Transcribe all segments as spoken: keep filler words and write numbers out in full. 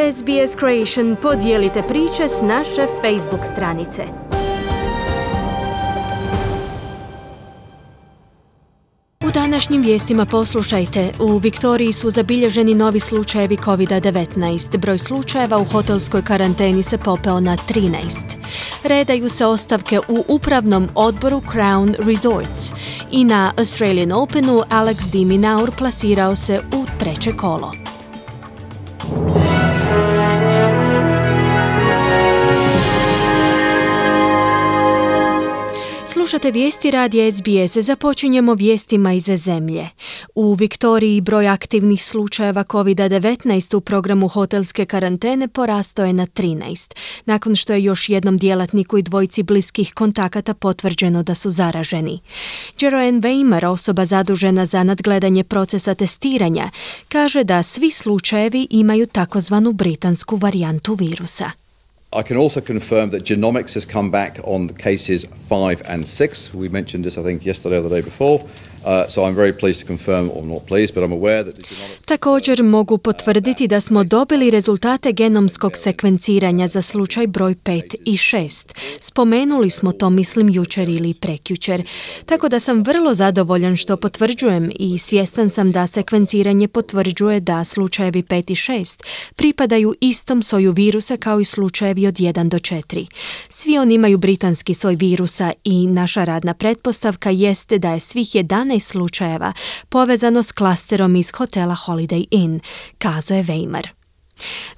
S B S Creation podijelite priče s naše Facebook stranice. U današnjim vijestima poslušajte, u Viktoriji su zabilježeni novi slučajevi covid devetnaest. Broj slučajeva u hotelskoj karanteni se popeo na trinaest. Redaju se ostavke u upravnom odboru Crown Resorts. I na Australian Openu Alex de Minaur plasirao se u treće kolo. Slušate vijesti radija S B S. Započinjemo vijestima iz zemlje. U Viktoriji broj aktivnih slučajeva covid devetnaest u programu hotelske karantene porastao je na trinaest, nakon što je još jednom djelatniku i dvojici bliskih kontakata potvrđeno da su zaraženi. Jeroen Weimer, osoba zadužena za nadgledanje procesa testiranja, kaže da svi slučajevi imaju takozvanu britansku varijantu virusa. I can also confirm that genomics has come back on the cases five and six. We mentioned this, I think, yesterday or the day before. Uh, so I'm very pleased to confirm, or not pleased, but I'm aware that the genomics... Također mogu potvrditi da smo dobili rezultate genomskog sekvenciranja za slučaj broj pet i šest. Spomenuli smo to, mislim, jučer ili prekjučer. Tako da sam vrlo zadovoljan što potvrđujem i svjestan sam da sekvenciranje potvrđuje da slučajevi pet i šest pripadaju istom soju virusa kao i slučajevi od jedan do četiri. Svi oni imaju britanski soj virusa i naša radna pretpostavka jeste da je svih jedanaest slučajeva povezano s klasterom iz hotela Holiday Inn, kazao je Weimer.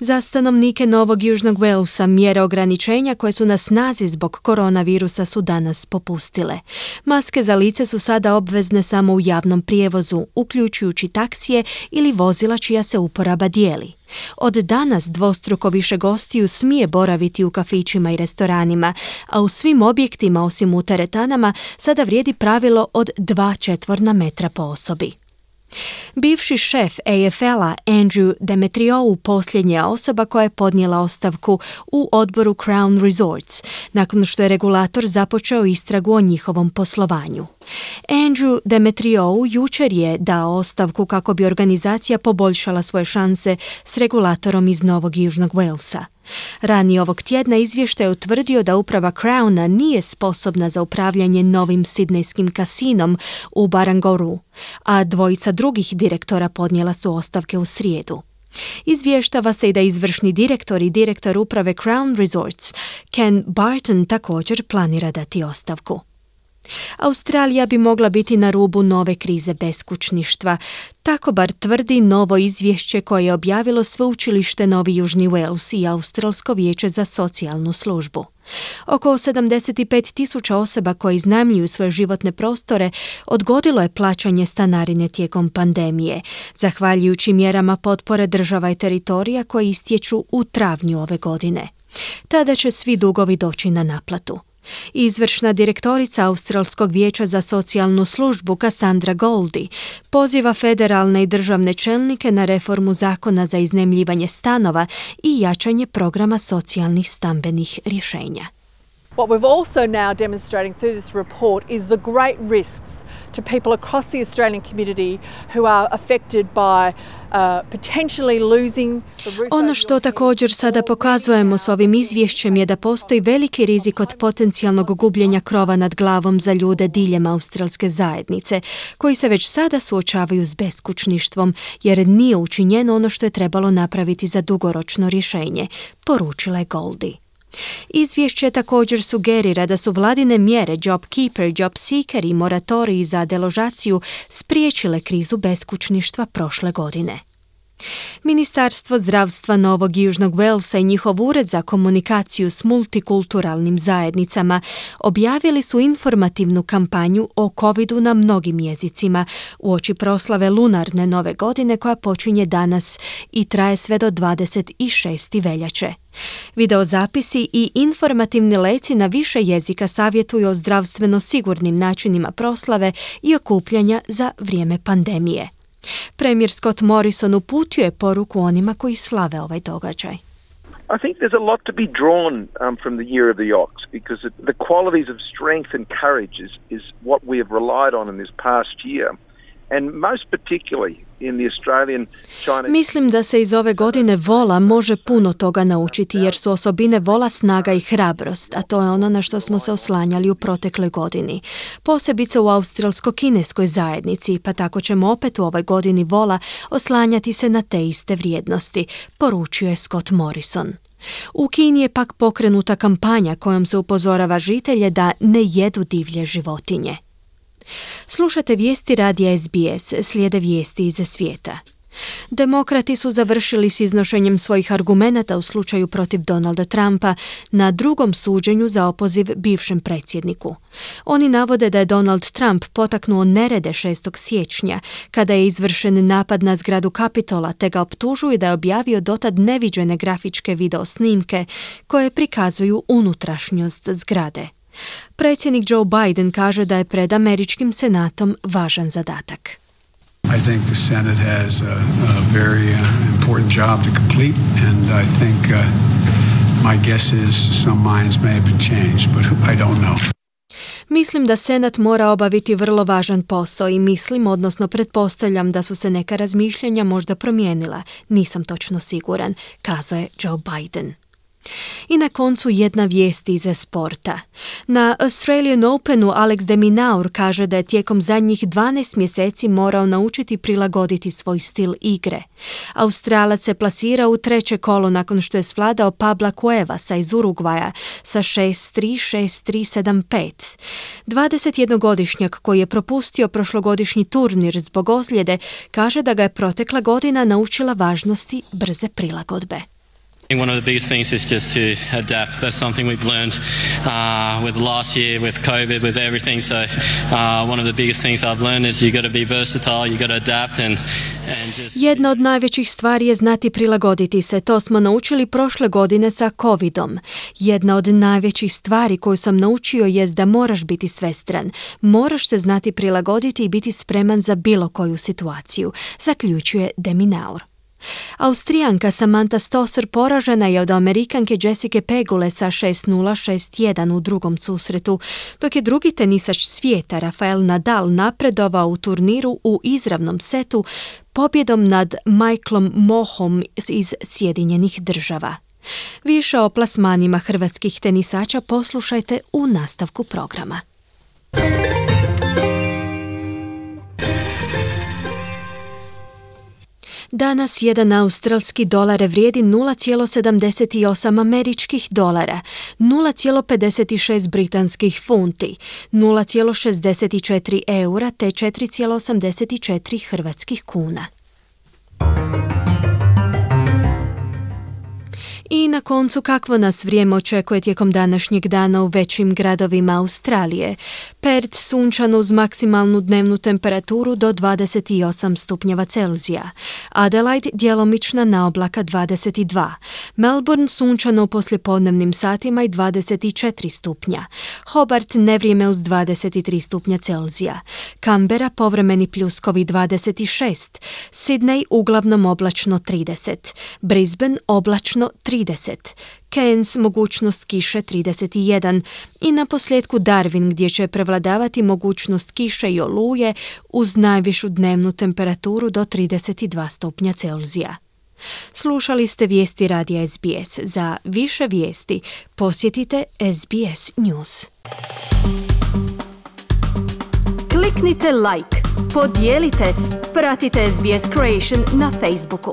Za stanovnike Novog Južnog Walesa mjere ograničenja koje su na snazi zbog koronavirusa su danas popustile. Maske za lice su sada obvezne samo u javnom prijevozu, uključujući taksije ili vozila čija se uporaba dijeli. Od danas dvostruko više gostiju smije boraviti u kafićima i restoranima, a u svim objektima osim u teretanama sada vrijedi pravilo od dva četvorna metra po osobi. Bivši šef A F L-a Andrew Demetriou posljednja je osoba koja je podnijela ostavku u odboru Crown Resorts, nakon što je regulator započeo istragu o njihovom poslovanju. Andrew Demetriou jučer je dao ostavku kako bi organizacija poboljšala svoje šanse s regulatorom iz Novog Južnog Walesa. Ranije ovog tjedna izvještaj je utvrdio da uprava Crowna nije sposobna za upravljanje novim sidnejskim kasinom u Barangoru, a dvojica drugih direktora podnijela su ostavke u srijedu. Izvještava se i da izvršni direktor i direktor uprave Crown Resorts, Ken Barton, također planira dati ostavku. Australija bi mogla biti na rubu nove krize beskućništva. Tako bar tvrdi novo izvješće koje je objavilo Sveučilište Novi Južni Wales i Australsko vijeće za socijalnu službu. Oko sedamdeset pet tisuća osoba koje iznajmljuju svoje životne prostore odgodilo je plaćanje stanarine tijekom pandemije, zahvaljujući mjerama potpore država i teritorija koje istječu u travnju ove godine. Tada će svi dugovi doći na naplatu. Izvršna direktorica Australskog vijeća za socijalnu službu Cassandra Goldie poziva federalne i državne čelnike na reformu zakona za iznajmljivanje stanova i jačanje programa socijalnih stambenih rješenja. What we've also now demonstrating through this report is the great risks to people across the Australian community who are affected by uh, potentially losing the roof. Ono što također sada pokazujemo s ovim izvješćem je da postoji veliki rizik od potencijalnog gubljenja krova nad glavom za ljude diljem australske zajednice, koji se već sada suočavaju s beskućništvom, jer nije učinjeno ono što je trebalo napraviti za dugoročno rješenje, poručila je Goldie. Izvješće također sugerira da su vladine mjere JobKeeper, JobSeeker i moratoriji za deložaciju spriječile krizu beskućništva prošle godine. Ministarstvo zdravstva Novog Južnog Walesa i njihov ured za komunikaciju s multikulturalnim zajednicama objavili su informativnu kampanju o covidu na mnogim jezicima uoči proslave lunarne nove godine koja počinje danas i traje sve do dvadeset šestog veljače. Videozapisi i informativni leci na više jezika savjetuju o zdravstveno sigurnim načinima proslave i okupljanja za vrijeme pandemije. Premijer Scott Morrison uputio je poruku onima koji slave ovaj događaj. I think there's a lot to be drawn um, from the Year of the Ox because it, the qualities of strength and courage is, is what we have relied on in this past year. And most particularly in the Australian Chinese... Mislim da se iz ove godine vola može puno toga naučiti jer su osobine vola snaga i hrabrost, a to je ono na što smo se oslanjali u protekloj godini. Posebice u australsko-kineskoj zajednici, pa tako ćemo opet u ovoj godini vola oslanjati se na te iste vrijednosti, poručio je Scott Morrison. U Kini je pak pokrenuta kampanja kojom se upozorava žitelje da ne jedu divlje životinje. Slušate vijesti radija S B S, slijede vijesti iz svijeta. Demokrati su završili s iznošenjem svojih argumenata u slučaju protiv Donalda Trumpa na drugom suđenju za opoziv bivšem predsjedniku. Oni navode da je Donald Trump potaknuo nerede šestog siječnja kada je izvršen napad na zgradu Kapitola, te ga optužuju da je objavio dotad neviđene grafičke video snimke koje prikazuju unutrašnjost zgrade. Predsjednik Joe Biden kaže da je pred američkim senatom važan zadatak. I think the Senate has a, a very uh, important job to complete, and I think uh, my guess is some minds may have been changed, but I don't know. Mislim da Senat mora obaviti vrlo važan posao i mislim, odnosno pretpostavljam da su se neka razmišljanja možda promijenila. Nisam točno siguran, kazao je Joe Biden. I na koncu jedna vijest iz sporta. Na Australian Openu Alex de Minaur kaže da je tijekom zadnjih dvanaest mjeseci morao naučiti prilagoditi svoj stil igre. Australac se plasirao u treće kolo nakon što je svladao Pabla Cuevasa iz Urugvaja sa šest tri, šest tri, sedam pet. dvadesetjednogodišnjak koji je propustio prošlogodišnji turnir zbog ozljede kaže da ga je protekla godina naučila važnosti brze prilagodbe. One of the biggest things is just to adapt. That's something we've learned uh, with last year, with COVID, with everything. So uh, one of the biggest things I've learned is you got to be versatile, you got to adapt and, and just... Jedna od najvećih stvari je znati prilagoditi se. To smo naučili prošle godine sa covidom. Jedna od najvećih stvari koju sam naučio je da moraš biti svestran. Moraš se znati prilagoditi i biti spreman za bilo koju situaciju, zaključuje de Minaur. Austrijanka Samantha Stosur poražena je od Amerikanke Jessica Pegule sa šest nula, šest jedan u drugom susretu, dok je drugi tenisač svijeta Rafael Nadal napredovao u turniru u izravnom setu pobjedom nad Michaelom Mohom iz Sjedinjenih Država. Više o plasmanima hrvatskih tenisača poslušajte u nastavku programa. Danas jedan australski dolar vrijedi nula zarez sedamdeset osam američkih dolara, nula zarez pedeset šest britanskih funti, nula zarez šezdeset četiri eura te četiri zarez osamdeset četiri hrvatskih kuna. I na koncu kakvo nas vrijeme očekuje tijekom današnjeg dana u većim gradovima Australije. Perth sunčano uz maksimalnu dnevnu temperaturu do dvadeset osam stupnjeva Celzija. Adelaide djelomična naoblaka dvadeset dva. Melbourne sunčano u poslijepodnevnim satima i dvadeset četiri stupnja. Hobart nevrijeme uz dvadeset tri stupnja Celzija. Canberra povremeni pljuskovi dvadeset šest. Sydney uglavnom oblačno trideset. Brisbane oblačno trideset. Cairns mogućnost kiše trideset jedan i na posljedku Darwin gdje će prevladavati mogućnost kiše i oluje uz najvišu dnevnu temperaturu do trideset dva stupnja Celzija. Slušali ste vijesti radija S B S. Za više vijesti posjetite S B S News. Kliknite like, podijelite, pratite S B S Creation na Facebooku.